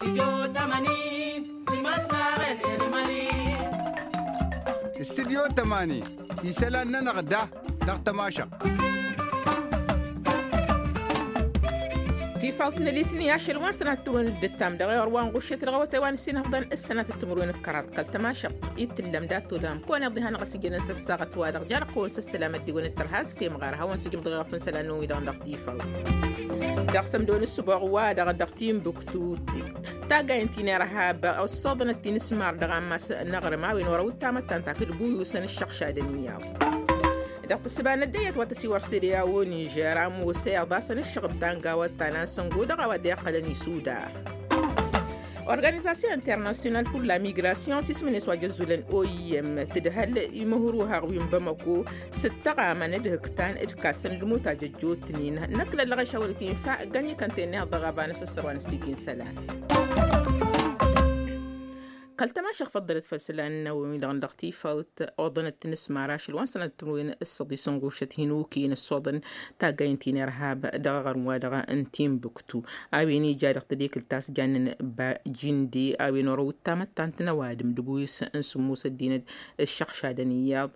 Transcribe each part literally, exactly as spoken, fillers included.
Studyo tămani isălan-nănăɣ da dăɣ-tămašăɣt. Tifawt n-elitni ašăl wa n-sănat timǝrwen d-ǝttam dăɣ-eɣăr wa n-ɣuššet dăɣ-awătay wa n-ǝssin ăfḍăn s-sănat timǝrwen d-kăraḍ kăl-tămašăɣt. Ittǝllăm datulăm kăwăn-iḍiha n-ɣas ijănăn s-ăssaɣăt-wa-dăɣ jarăɣ-kăwăn s-ăssălam ăddiwăn d-tărha s-semɣar a hawăn-sǝjǝm dăɣ-eɣăf n-isălan-năwăn-wi-dăɣ dăɣ-tifawt. Dăɣ-sămdo n-ǝssǝboɣ-wa-dăɣ dăɣ-timbuktu taggayăn ti n-irhab ăṣṣoḍănăt ti n-ǝsmar dăɣ-ammas n-aɣrǝm a-wen wăr-ăwǝttam ăttan takǝd buyusăn ǝššăɣšadăn iyyăḍ. Dăɣ-tǝssǝba n-ăddăyyăt wa tăsiwăr s-ede a-wen ižer ămoos iyyăḍ a-s ănǝššăɣǝb ta n-gawăt ta n-ansăngo dăɣ-a-wa dd-iqqălăn isudar. Organizasyon internasyonal pur la migrasyon s-ismǝn-e-s wa jăzzulăn oim tǝdhăl imǝhruhăɣ wi n-bamăko s-ǝttăɣamăn d-hǝktan d-kassăn d-mutaj ăjjootnen. Năkk lăllăɣ išawăl-t infa ǝggăn ikănten-ni-haḍ dăɣ-aba n-asǝssăr wa n-ăssigin isălan. Kăl-tămašăɣ făḍḍălăt făll-isălan-năwăn-wi-dăɣ dăɣ-tifawt oḍănăt tinǝsmar ašăl wa n-sănat timǝrwen s-săḍis n-ɣušăt hin-okăyăn ăssoḍăn taggayăn ti n-irhab dăɣ-aɣrǝm-wa-dăɣ n-timbuktu a-wen ija dăɣ-tedekǝlt ta s-jannen bajinde a-wen orăw ǝttamăttant n-ăwadǝm d-ăbuy-s n-sǝmmos ăddinăt ǝššăɣšadăn iyyăḍ.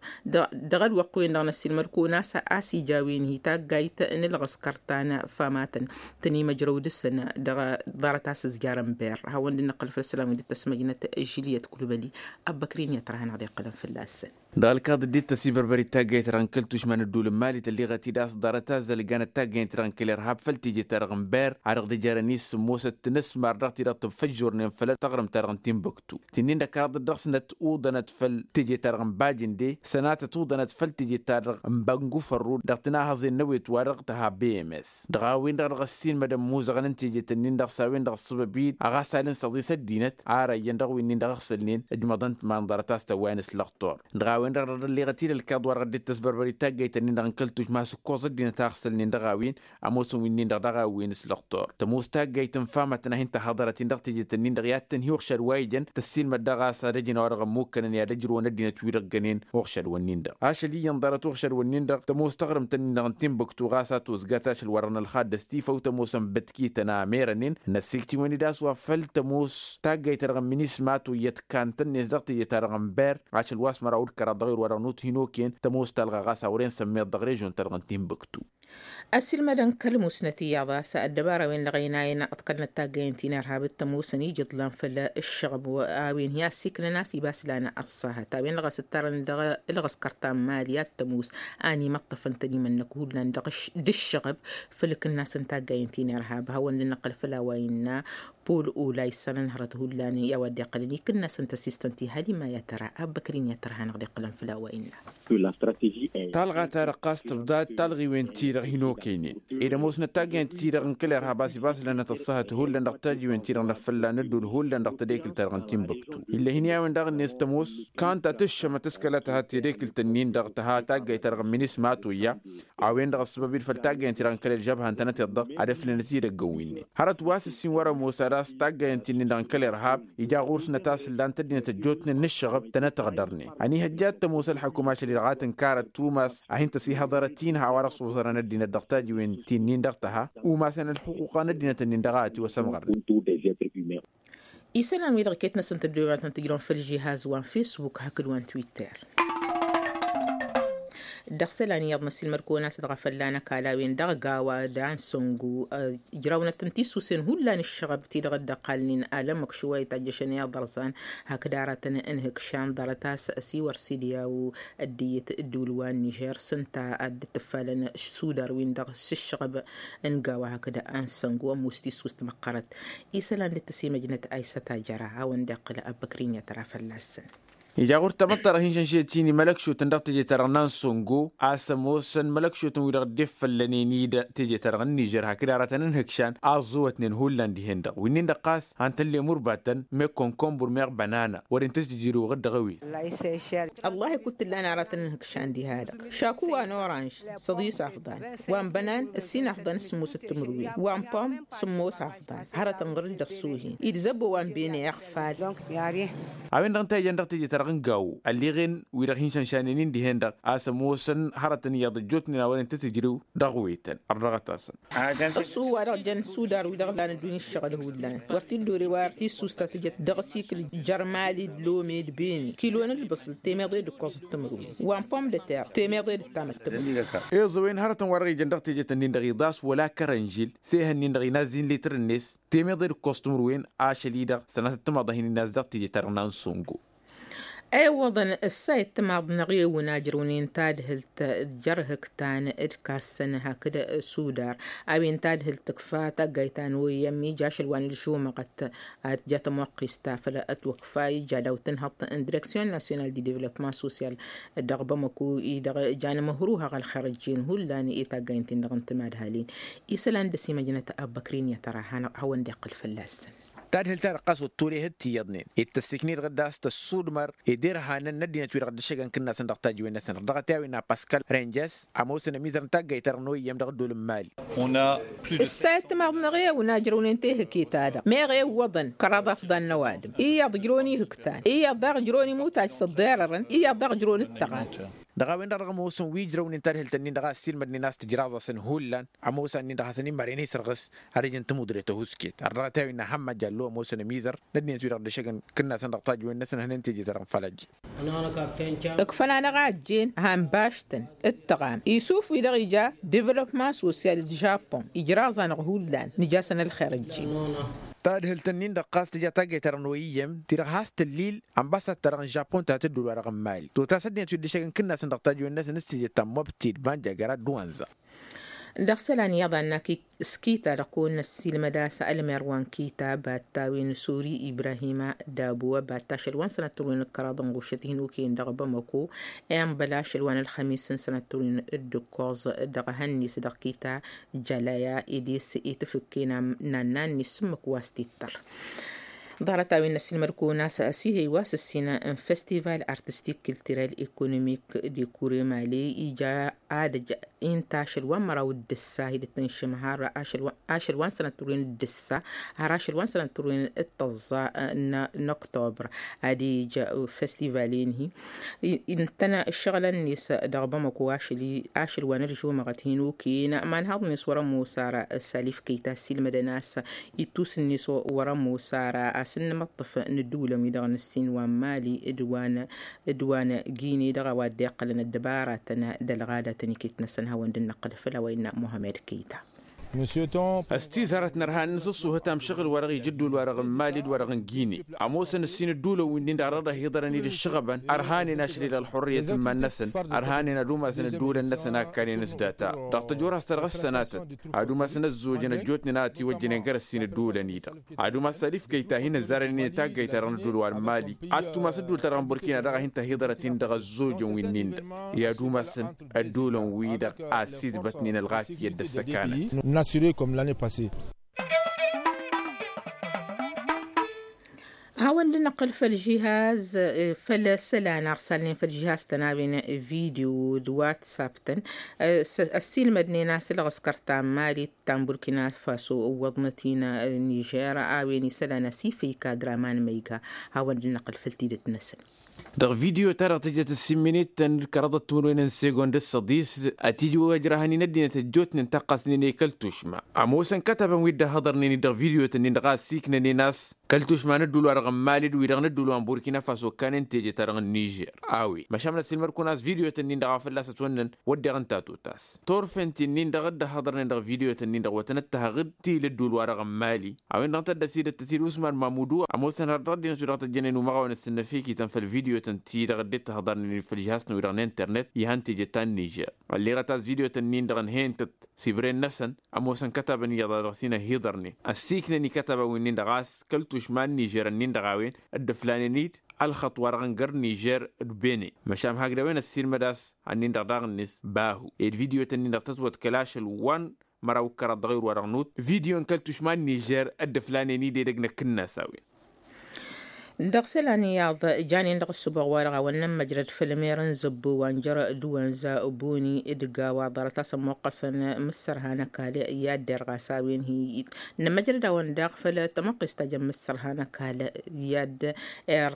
Dăɣ-ălwăqq-wen-dăɣ năssiilmăd-kăwăn a-s ija a-wen hi-taggayt n-ǝlɣǝskăr ta n-famatăn tăn-imăjrăw dăɣ-săn dăɣ-ḍarăt a-s ǝzjarăn ber hawăn-dd-năqqăl făll-isălan wi dd-tăsmăjnăt žiliyăt kulbăli. Ăbbăkrin i-ad-tărha-năɣ dd-iqqălăn fălla-săn. Dăɣ-ălkaḍ dd-tăsibărbărit taggayt-dăɣ n-kăl-tušma n-ădduul n-mali tălleɣăt-dd a-s ḍarăt azzăl ǝgganăt taggayt-dăɣ n-kăl-irhab făll-teje-ta-dăɣ n-ber a dăɣ-dd-ijărăn i-sǝmmosăt tinǝsmar dăɣ-ti-dăɣ tǝnfăjjurnen făll-taɣrǝmt-ta-dăɣ n-timbuktu. Tinnin-dăɣ kăraḍăt dăɣ-snăt uḍănăt făll-teje-ta-dăɣ n-bajǝnde sănatăt uḍănăt făll-teje-ta-dăɣ n-băngufărru dăɣ-tinahăẓen n-awet-wa-dăɣ tǝha bms. Dăɣ-a-wen-dăɣ dăɣ-ăssiinmădăn imuzăɣăn n-teje-tăn-in-dăɣ s-a-wen-dăɣ ăṣṣăbăb-in ăɣasal n-săḍis ăddinăt ara iyyăn dăɣ-winnin-dăɣ ăɣsălnen ǝjmăḍăn-t iman ḍarăt a-s tăwwayăn s-lăxtur. Dăɣ-a-wen-dăɣ dăɣ-dd-ălleɣăt-dd ălkaḍ wa dăɣ-dd-tăsbărbărit taggayt-tăn-in-dăɣ n-kăl-tušma s-ǝkkoẓ ăddinăt a ăɣsălnen dăɣ-a-wen ămoosăn winnin-dăɣ dăɣ-a-wen s-lăxtur. Tămoos taggayt n-famătăn a hin-tăhhăḍărăt-in dăɣ-teje-tăn-in-dăɣ i-ad-tăn-hi-uɣšad wa ijăn tăssiilmăd dăɣ-a-s ad-ăjǝn a-wa dăɣ-ămmukkănăn i-ad-ăjrǝwăn ăddinăt-wi-dăɣ ǝggănen uɣšad-wǝnnin-dăɣ ašăl iyyăn ḍarăt uɣšad-wǝnnin-dăɣ tămoos taɣrǝmt-ǝnnin-dăɣ n-timbuktu ɣas a tojjat ašăl wărăn ălxadd ăstifăw tămoosăn bătkităn a merănen. Năssiiktǝwăn-dd a-s wa făl tămoos taggayt-ta-dăɣ n-minisma toyyăt kantăn-net dăɣ-teje-ta-dăɣ n-ber ašăl wa s-măraw d-kăraḍ dăɣ-ewăr wa dăɣ-nuthin okăyăn tămoos talɣa ɣas a wăren sămmeḍ dăɣ-režion-ta-dăɣ n-timbuktu. Ăssiilmădăn kăl-musnăt iyyăḍ a-s ăddăbara-wen-dăɣ ăynayăn ăḍkălnăt taggăyăn ti n-irhab d-tămoosăn ija iḍlan făll-ǝššăɣb a-wen hi-asiknăn a-s ibas lan ăṣṣahăt a-wen-dăɣ a-s ǝttarăn dăɣ-ǝlɣǝskăr ta n-mali ad-tămoos a n-imăṭṭăfăn tănimănnăk hullan dăɣ-ǝššăɣb făll-ikǝnnas n-taggăyăn ti n-irhab hawăn-dd-năqqăl făll-a-wa innă. Pol olay s-anăn hărăt hullan i-a-wa dd-iqqălăn ikǝnnas n-tăsistăn ti halima i-ad-tăra abbăkrin i-ad-tărha-năɣ dd-iqqălăn făll-a-wa innă. Talɣa-ta-dăɣ ɣas tǝbḍa d-talɣiwen-ti-dăɣ hin-okăynen ed ămoosnăt taggăyăn-ti-dăɣ n-kăl-irhab a-s ibaslănăt ăṣṣahăt hullan dăɣ-tajiwen-ti-dăɣ n-afălla n-ădduul hullan dăɣ-tedekǝlt-ta-dăɣ n-timbuktu. Ill'-e hin-i-a-wen daɣ-net tămoos kanta tǝššămăt s-kăla tǝha tedekǝlt-ǝnnin-dăɣ tǝha taggayt-ta-dăɣ n-minisma toyya. A-wen-dăɣ ăssăbăb-dd făll-taggăyăn-ti-dăɣ n-kăl-ălžăbha ǝntănăteḍ-dăɣ ad-ǝflǝnăt idăgg n-winne hărăt wa s-ǝssin wăr-ămoos ad-dăɣ-s taggăyăn-ti-nin-dăɣ n-kăl-irhab. Ija ɣur-snăt a-s ǝllan-t ăddinăt ăjjootnen n-ǝššăɣăb tănăt-ăɣdărnen ănihăjja ad-tămoos ălḥăkum ašăl-i-dăɣ a tǝnkarăt tumas a hin-tăsihăḍărăt-in ha-wa-dăɣ s-uẓărăn ăddinăt dăɣ-tajiwen ti-nin-dăɣ tăha umasăn ălxuquqa n-ăddinăt-nin-dăɣ a ătiwăsămɣărnen. Isălan-wi-dăɣ iket-năsăn tăddoyăn ad-tăn-tǝjrăwăn făll-žihaz wa n-fesbuk hakd wa n-twitter. Dăɣ-isălan iyyăḍ năssiilmăd-kăwăn a-s dăɣ-afălla n-ăkall a-wen dăɣ-gawa d-ansăngu ǝjrawnăt n-tisusen hullan ǝššăɣăb ti-dăɣ dd-ăqqalnen alămmăk šuwayăt a ǝjjăšăn i-aḍărẓan. Hakd aratăn n-ihǝkšan ḍarăt a-s ăsiwăr s-idǝyaw ăddinăt ǝddǝwǝl wa n-nižer s-ǝnta ad-dd-tǝffalăn sudar win-dăɣ s-ǝššăɣăb n-gawa hakd ansăngu ămoos tissust măqqărăt. Isălan dd-tăsimăjnăt aysăt ajăra hawăn-dd-iqqǝl ăbbăkrin i-ad-tăra fălla-săn. Ija ɣur-tamăḍt-ta-dăɣ hin-šănšet-in i-mălăkšotăn dăɣ-teje-ta-dăɣ n-ansăngo a-s ămoosăn mălăkšotăn-wi-dăɣ dd-effăllănen-dd teje-ta-dăɣ n-nižer hakd aratăn n-ihǝkšan a ăẓẓuwătnen hullan dihen-dăɣ wi-nin-dăɣ ɣas han tăllemurbatăn meɣ konkombur meɣ bănana wăren tăt-dd-iruɣ-dd dăɣ-ewel. Ăllah ikud t-ǝllan aratăn n-ihǝkšan diha-dăɣ šaku wa n-oranž săḍis afḍal wa n-bănan ǝssin afḍal n-sǝmmosăt timǝrwen wa n-pom sǝmmos afḍal hărăt ǝnɣăr-dd ăṣṣuhin idzăbbo wa n-bene iɣfal. A-wen-dăɣ ǝnta a ijăn dăɣ-teje-ta-dăɣ n-gawo ălleɣen wi-dăɣ hin-šănšanen-in dihen-dăɣ a-s ămoosăn hărătăn iyyăḍ ăjjootnen a wăren tăt-ǝjrew dăɣ-wetăn. Ărdăɣăt-asăn. Ăṣṣu wa-dăɣ jăn sudar wi-dăɣ lan ăddunya ǝššăɣǝl hullan wăr t-dd-ore wa ti-ǝssus ta tǝjăt dăɣ-asikǝl jer-mali d-lome d-beni kilon ǝlbǝṣǝl temeḍe d-ǝkkoẓ d-timǝrwen wa n-pom de terre temeḍe d-ǝttamăt timǝrwen. Iẓăwen hărătăn wa dăɣ-ijăn dăɣ-tejet-nin-dăɣ iḍas wăla kărănžil s-ehăn-nin-dăɣ inazzin litr-net temeḍe d-ǝkkoẓ timǝrwen ašăl-i-dăɣ sănatăt timaḍăhin inazzăɣ tejet-ta-dăɣ n-ansongo. Ewăḍăn ǝssa ittimaḍ n-aɣewǝn ajrăwnen tadhǝlt jer-hǝktan d-kassăn hakd sudar a-wen tadhǝlt tǝkfa taggayt ta n-oyăm ija ašăl wa n-ǝlžumăɣăt ad-tǝja tămoqqist ta făll-ătwăkfa ija daw-tǝnhăḍt n-direksyon nasyonal di devlopman sosyal dăɣ-bamăko-i-dăɣ jan măhruhăɣ ălxerăjjen hullan i-taggaynt-in-dăɣ n-timadhalin. Isălan dăr-s imăjnăt abbăkrin i-tăra hawăn-dd-iqqǝl fălla-săn. Tadhǝlt-ta-dăɣ ɣas wăr t-turehăd tiyyăḍnen ed tăssikni-dăɣ dd-ass tăssudmăr ed irhanăn n-ăddinăt-wi-dăɣ dd-ăššăgăn kǝnnasăn dăɣ-tajǝwen-năsăn ărdăɣăt i-a-wen a paskal renjes ămoosăn ămizăr n-taggayt-ta-dăɣ n-oyyăm dăɣ-ăddol n-mali. Ǝssa ittimaḍ n-aɣewǝn ajrăwnen tehăke-ta-dăɣ meɣ ewwăḍăn kăraḍ afḍan n-ăwadǝm iyyăḍ ǝjrăwăn ihǝktan iyyăḍ daɣ ǝjrăwăn imutaj s-ăḍḍerărăn iyyăḍ daɣ ǝjrăwăn ǝttăɣan. Dăɣ-a-wen-dăɣ dăɣ-ămoosăn wi ǝjrăwnen tadhǝlt-ǝnnin-dăɣ a ăssiilmădnen a-s tǝjraẓ-asăn hullan ămoos-annin-dăɣ hasăn-imăren isărɣǝs ad-ǝjǝn tămudre ta huske ărdăɣăt i-a-wen n-ahămmad jallo ămoosăn ămizăr n-ăddinăt-wi-dăɣ dd-ăššăgăn kǝnnasăn dăɣ-tajǝwen-năsăn hănen teje ta dăɣ-nǝfălajje. Ǝkfăn-anăɣ a ăjjeen han baštăn ǝttăɣam isuf-wi-dăɣ ija devălopman sosyal d-žapon ijraẓ-anăɣ hullan nǝj'-asăn ălxer ăjjeen. Tadhǝlt-ǝnnin-dăɣ ɣas tǝja taggayt-ta-dăɣ n-oyyăm ti-dăɣ has-tǝllil ănbasad-ta-dăɣ n-žapon ta tǝddǝwǝl-wa-dăɣ n-mali totas ăddinăt wi dd-ăššăgăn kǝnnasăn dăɣ-tajǝwen-năsăn s-teje ta n-mobti d-banjagăra d-wanza. Dăɣ-isălan iyyăḍ a ănnăk s-kita-dăɣ kăwăn-năssiilmăd a-s ălmer wa n-kita batta wi n-sori ibrahima dabuwa batta ašăl wa n-sănăt turwen d-kăraḍ n-ɣušăt hin-okăyăn dăɣ-bamăko i-ănbăl ašăl wa n-ălxămis n-sănăt turwen d-ǝkkoẓ dăɣ-ehăn-net dăɣ-kita. Jalaya ed i-s itǝfǝkken n-annan-net s-ǝmmǝk wa s-tittăr. Ḍarăt a-wen n-ăssiilmăd kăwăn-as ăsihăy wa s-ǝssin n-festival artistik kiltirel ekonomik dekure mali ija adăj inta ašăl wa n-măraw d-ǝssa hi-dd-tǝnšǝm har ašăl wa n-sănăt turwen d-ǝssa har ašăl wa n-sănăt turwen d-tăẓẓa n-oktobăr ad-ija festival-en-hi. Ǝntănă ǝššăɣǝlăn-net dăɣ-bamăko ašăl wa n-ălžumăɣăt hin-okăyăn ma n-haḍ-net wăr-ămoos ara. S-alif kăyy ta ăssiilmădăn a-s ittus-net wăr-ămoos ara a-s n-inǝmăṭṭăf n-ǝddǝwǝlăn-wi-dăɣ n-ǝssin wa n-mali d-wa n-gine dăɣ-a-wa dd-iqqălăn ăddăbaratăn d-ălɣadatăn iket-năsăn hawăn-dd-năqqǝl făll-a-wa innă muhammed kăyy ta. Ăstizarăt n-ărhan n-asǝṣṣuhăt amšăɣǝl-wa-dăɣ ija ădduul-wa-dăɣ n-mali d-wa-dăɣ n-gine ămoosăn ǝssin ǝddulăn wi-nin-dăɣ a dăɣ-dăɣ-hi-ḍărăn-dd ǝššăɣăbăn ărhanen ašăl-i-dăɣ ălxurrăyăt n-iman-năsăn. Ărhanen ad-umasăn ădduulăn-năsăn a ǝkkanen s-data dăɣ-tăjorhas ta dăɣ-ăssănatăt ad-umasăn ăzzojăn ăjjootnen a ătiwăjjănen găr-ǝssin ǝddulăn-i-dăɣ ad-umas alif kăyy ta hin-ăzzarănen i-taggayt-ta-dăɣ n-ădduul wa n-mali ad-tumas ădduul-ta-dăɣ n-burkina dăɣ-a hin-tăhiḍărăt-in-dăɣ ăzzojăn wi-nin-dăɣ i-ad-umasăn ădduulăn-wi-dăɣ a ăsidbătnen ălɣafyăt d-ăssăkanăt. Hawăn-dd-năqqǝl făll-žihaz făll-isălan arsalnen făll-žihaz-tăn a-wen video d-whatsapp-tăn ăssiilmădnen a-s ǝlɣǝskăr ta n-mali ta n-burkina faso ǝwwăḍnăt-in nižer a-wen isălan asifăy kadra ma n-măyga. Hawăn-dd-năqqǝl făll-tidǝt-năsăn. Dăɣ-video-ta-dăɣ tǝjjăt ǝssin minit-tăn d-kăraḍăt timǝrwen n-segond d-săḍis ătijwăjrăhăn-in ăddinăt ăjjootnen taqqasnen i-kăl-tušma ămoosăn kătabăn wi dd-ăhhăḍărnen-dd dăɣ-video-tăn-in-dăɣ a ăssiiknănen a-s kăl-tušma n-ǝddul-wa-dăɣ n-mali d-wi-dăɣ n-ǝddul wa n-burkina faso ǝkkanen teje-ta-dăɣ n-nižer. A-wen măšan năssiilmăd-kăwăn a-s video-tăn-in-dăɣ a fălla-s ătwănnăn wădden ǝnta a totas torfen ti-nin-dăɣ dd-ăhhăḍărnen dăɣ-video-tăn-in-dăɣ wa tăn-ăttăhăɣ d-ti l-ǝddul-wa-dăɣ n-mali. A-wen-dăɣ tăddăsidăt tăt-dd-usman mamudu ămoosăn har dăɣ-ăddinăt wi-dăɣ tăjjănen umăɣawăn ǝssǝnnăfikităn făll-video-tăn ti-dăɣ dd-tăhhăḍărnen făll-žihasnăt-wi-dăɣ n-internet ihăn teje ta n-nižer. Ălleɣăt a-s video-tăn-in-dăɣ ǝnhăyăn-tăt s-ibren-năsăn ămoosăn kătabăn iyyăḍ a dăɣ-s-in-ăhhiḍărnen ăssiiknăn i-kătabăn wi-nin-dăɣ a-s kăl-tušma n-nižer-ǝnnin-dăɣ a-wen dd-ǝflanen-dd ălxăṭṭ wa-dăɣ n-găr nižer d-bene. Măšan hakd a-wen ăssiilmăd a-s ănnin-dăɣ daɣ-net bahu ed video-tăn-in-dăɣ tătwăḍkăl ašăl wa n-măraw d-kăraḍ dăɣ-ewǝr-wa-dăɣ n-ut video n-kăl-tušma n-nižer dd-ǝflanen-dd edăgg n-akǝnnas a-wen. Dăɣ-isălan iyyăḍ janen dăɣ-ăssuboɣ-wa-dăɣ a-wa n-nămmăjrăd făll-mer n-zăbbo wa n-jăr d-iwănza boni d-gawa ḍarăt-as ămmoqqăsăn mǝssărha n-ăkall i-ad-derɣ a-s a-wen hi-iyyăt. Nămmăjrăd-awăn daɣ făll-tămăqqes ta jăn mǝssărha n-ăkall i-ad-er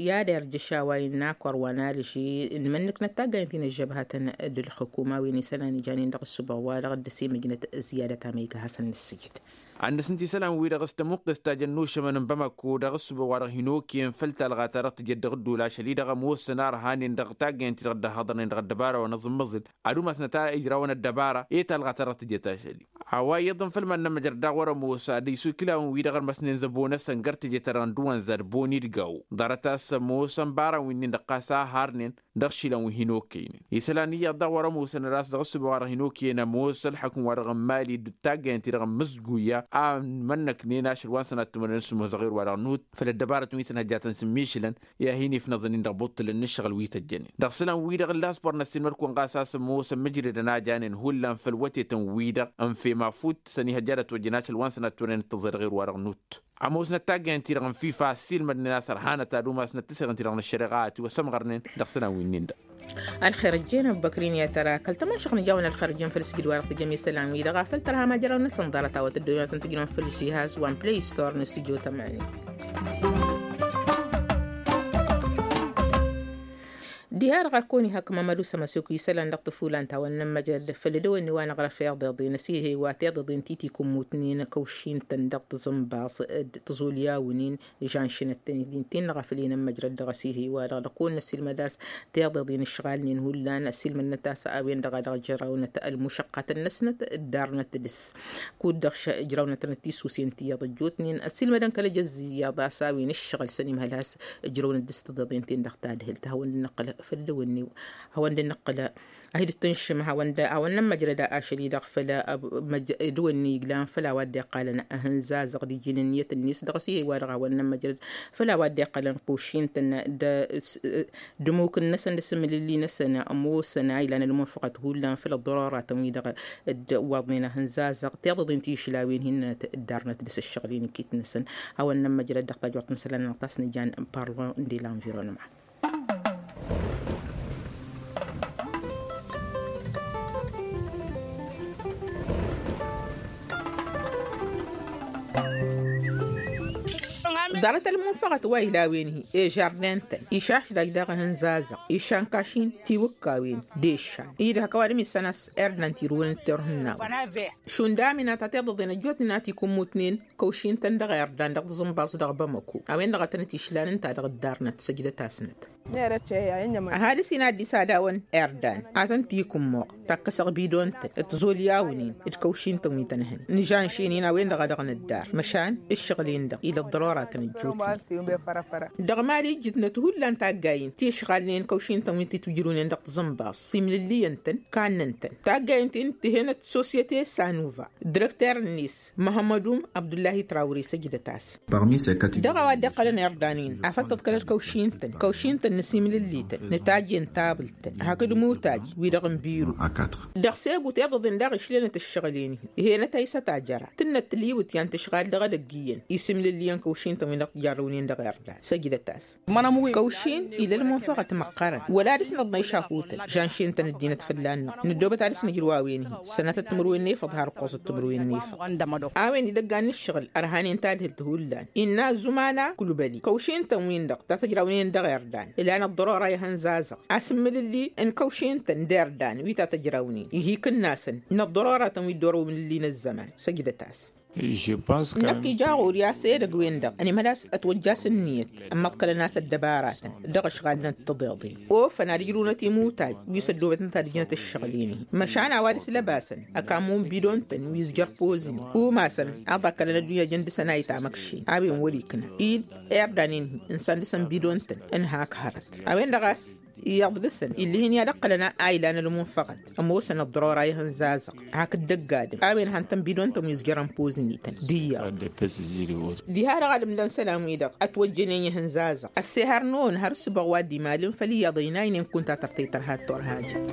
i-ad-erjăš a-wa innă akor wa n-alži n-imǝnnǝknăt taggayen ti n-ăžžăbhătăn d-ǝlxǝkum a-wen isălan ijanen dăɣ-ăssuboɣ-wa-dăɣ dd-ăsimăjnăt. Ziyadăt amăyga hasăn-nǝssǝjǝd. Ad-nǝsǝnti isălan-wi-dăɣ s-tămuqqes ta jăn n-ušămăn n-bamăko dăɣ-ăssuboɣ-wa-dăɣ hin-okăyăn făll-talɣa ta dăɣ-tǝjăt dăɣ-ădduul ašăl-i-dăɣ ămoosăn arhanen dăɣ-taggayen-ti-dăɣ dd-ăhhăḍărnen dăɣ-ăddăbara wa n-aẓǝmmăẓǝl ad-umasnăt a ijrawăn ăddăbara i-talɣa ta dăɣ-tǝjăt ašăl-i. A-wa iyyăḍ n-făll-iman n-ămmăjrăd daɣ wăr-ămoos ad-isukǝlawăn-wi-dăɣ ărmăsnen zăbo-năsăn găr tǝjăt-ta-dăɣ n-dăwănza d-boni d-gawo ḍarăt-as ămoosăn bara-win-nin-dăɣ ɣas a harnen dăɣ-išilan wi hin-okăynen isălan iyyăḍ daɣ wăr-ămoosăn ad-as dăɣ-ăssuboɣ-wa-dăɣ hin-okăyăn ămoos ălḥăkǝm-wa-dăɣ n-mali d-taggayen-ti-dăɣ n-mǝzguya a ǝmmănnăknen ašăl wa n-sănat timǝrnen s-ămoos dăɣ-erwa-dăɣ nut făll-ăddăbarătăn wi s-ănhăjjatăn s-ǝmmišǝlăn i-ad-hin-ifnăẓăn-in dăɣ-ibuṭṭǝlăn n-ǝššăɣǝl wi tăjjănen dăɣ-isălan-wi-dăɣ ǝllas băr n-ăssiilmăd-kăwăn ɣas a-s ămoosăn mǝjredăn a janen hullan făll-wătetăn-wi-dăɣ ănf'-e mafut s-ănihăjja ad-ătwăjjăn ašăl wa n-sănat timǝrnen d-tăẓẓe dăɣ-erwa-dăɣ nut. Ămoosnăt taggayen-ti-dăɣ n-fifa ăssiilmădnen a-s ărhanăt ad-umasnăt tiseɣen-ti-dăɣ n-ăššăreɣa a ătiwăsămɣărnen dăɣ-isălan wi-nin-dăɣ. Ălxer ăjjeen ăbbăkrin i-ad-tăra kăl-tămašăɣ nǝjawăn ălxer ăjjeen făll-sǝjdǝd wa-dăɣ tǝjjăm isălan-wi-dăɣ a făl tărha majăraw-năsăn ḍarăt a-wa tăddonătăn tǝjnăm făll-žihaz wa n-play store n-studio tămani. Diha-dăɣ ărkăwăn ihăkk mămădu s-ămăsuk isălan dăɣ-tăfulan ta wănnăn măjrăd făll-edăwănni wa n-aɣrăf iḍeḍen ăsihăy wa tiḍeḍen ti tikǝmmutnen kăwšin-tăn dăɣ-tǝẓǝnbaẓ d-tǝẓulyawnen žanšinăt-tăn-dd-intin-dăɣ a făl inămmăjrăd dăɣ-ăsihăy wa-dăɣ dăɣ-kăwăn-năsilmăd a-s tiḍeḍen ǝšɣalnen hullan ăsilmădnăt a-s a-wen-dăɣ a dăɣ-ǝjrawnăt ălmušăqqatăn-năsnăt dd-arnăt dăɣ-s kud-dăɣ š-ǝjrawnătnăt tisusen ti iyyăḍ ăjjootnen ăsilmădăn kăl-ejăzz iyyăḍ a-s a-wen ǝššăɣǝl s-ănimhăl has-ǝjrăwnăt dăɣ-s tiḍeḍen-ten-dăɣ tadhǝlt hawăn-dd-năqqǝl făll-edăwănni hawăn-dd-năqqǝl ahid ǝttǝnšǝm hawăn-dd hawăn-nămmăjrăd ašăl-i-dăɣ făll-edăwănni d-ăwănni iglan făll-a-wa dd-iqqalăn ahǝnzazăɣ d-iji n-ǝnniyăt-net dăɣ-s i-he-wa-dăɣ hawăn-nămmăjrăd făll-a-wa dd-iqqalăn kăwšin-tăn d-ămmuk-năsăn d-asǝmǝlǝlli-năsăn ămoosăn a ilan ălmunfăɣăt hullan făll-ăḍḍărora-tăn-wi-dăɣ dd-ăwwaḍnen ahǝnzazăɣ tiḍăḍen ti išlawen hin-nănăt dd-arnăt dăɣ-s ǝššăɣǝl-i n-iket-năsăn. Hawăn-nămmăjrăd dăɣ-tajurt n-isălan-nănăɣ ta s-nǝjan parlon de l'environnement. Ḍarăt ălmunfăɣăt wa ila a-wen-hi ežardin-tăn išašdaj daɣ ihǝnzazăɣ išan kašin tiwǝkkawen d-eššan. Id-hak ăwadǝm issan a-s irdan tirǝwăn d-tirǝhǝnnawen šund amina ta tiḍăḍen ăjjootnen a tikǝmmutnen kăwšin-tăn dăɣ-irdan dăɣ-tǝẓǝnbaẓ dăɣ-bamăko a-wen-dăɣ a tănăt-išlan ǝnta-dăɣ dd-arnăt săjdăt-asnăt. Ăhalǝs-in a dd-isadawăn irdan ad-tăn-tikǝmmoɣ takkăsăɣ bidon-tăn d-tẓolyawnen d-kăwšin-tăn wi tăn-hăn nǝžanšen-in a-wen-dăɣ a dăɣ-nǝddar măšan ǝššăɣǝl-in-dăɣ ila ăḍḍărora tăn-ăjjootnen. Dăɣ-mali ǝjjǝtnăt hullan taggayen ti ǝšɣalnen kăwšin-tăn wi t-itwǝjrǝwnen dăɣ-tǝẓǝnbaẓ simlǝlliyăn-tăn kannăn-tăn taggayen-ti n-tihenăt sosyete sanuva. Dirăkter-net măhămmădum abdullahi trawre săjdăt-as. Dăɣ-a-wa dd-iqqălăn irdan-in afăl tǝḍkălăt kăwšin-tăn kăwšin-tăn n-asimlǝlli-tăn n-tajje n-tabǝlt-tăn hakd mutaj wi-dăɣ n-biru. Dăɣ-segu tiḍăḍen daɣ išlenăt ǝššăɣǝl-en-hi ihenăt a isăt a jăra tǝnnăt tǝliwǝt i-ad-tǝšɣal dăɣ-edăgg iyyăn isimlǝlli-yăn kăwšin-tăn wi-dăɣ jarrăwnen dăɣ-irdan săjdăt-as. Kăwšin ila ălmunfăɣăt măqqărăn wăla dăɣ-s nǝḍnăy šahutăn žanšen-tăn ăddinăt fălla-năɣ nǝddobăt ad-dăɣ-s nǝjrǝw a-wen-hi sănatăt timǝrwen n-efăḍ har ǝqqoẓăt timǝrwen n-efăḍ. A-wen idăggan n-ǝššăɣǝl ărhanen tadhǝlt hullan innă ăzzuman-a kulbăli kăwšin-tăn-win-dăɣ ta tăjrawnen dăɣ-irdan ǝlan ăḍḍărora ihăn zazăɣ asǝmmǝlǝlli n-kăwšin-tăn d-irdan wi ta tăjrawnen ihikǝnna-săn n-ăḍḍărora-tăn wi dd-orăw imǝlǝlli n-ăzzăman săjdăt-as. Năkk ija ɣur-i a-s edăgg-wen-dăɣ ănimhăl a-s ătwăjja a-s ǝnniyăt ămmăḍkălăn a-s ăddăbaratăn dăɣ-ăšɣalnăt tăḍeḍen ofăn ad-ǝjrǝwnăt imutay wi s-ăddoobătnăt ad-ǝjnăt ǝššăɣǝl-en-hi măšan a-wa dăɣ-s lăbasăn ăkammun bidon-tăn wi ǝzjăr pozni umasăn aḍa ăkkălăn ăddunya jăn dăɣ-săn a itamăkšen a-wen wăr-ikna-dd irdan-in-hi ǝnsan dăɣ-săn bidon-tăn ǝnhak hărăt a-wen-dăɣ a-s iyyăḍ dăɣ-săn ill'-ihin i-ad-ǝqqălăn a ilan ălmunfăɣăt ămoosăn ăḍḍărora ihăn zazăɣ hakd dăgg-adǝm a-wen han-tăn bidon-tăn wi ǝzjărăn pozni-tăn d-iyyăḍ. Diha-dăɣ ad-ǝmlăn isălan-wi-dăɣ ătwăjjănen ihăn zazăɣ ăssehărnăwăn har ǝssǝbăɣ wa dd-imalǝn făll-iyyăḍ ăynaynen kunta tărtăy tărha d-turhajăt.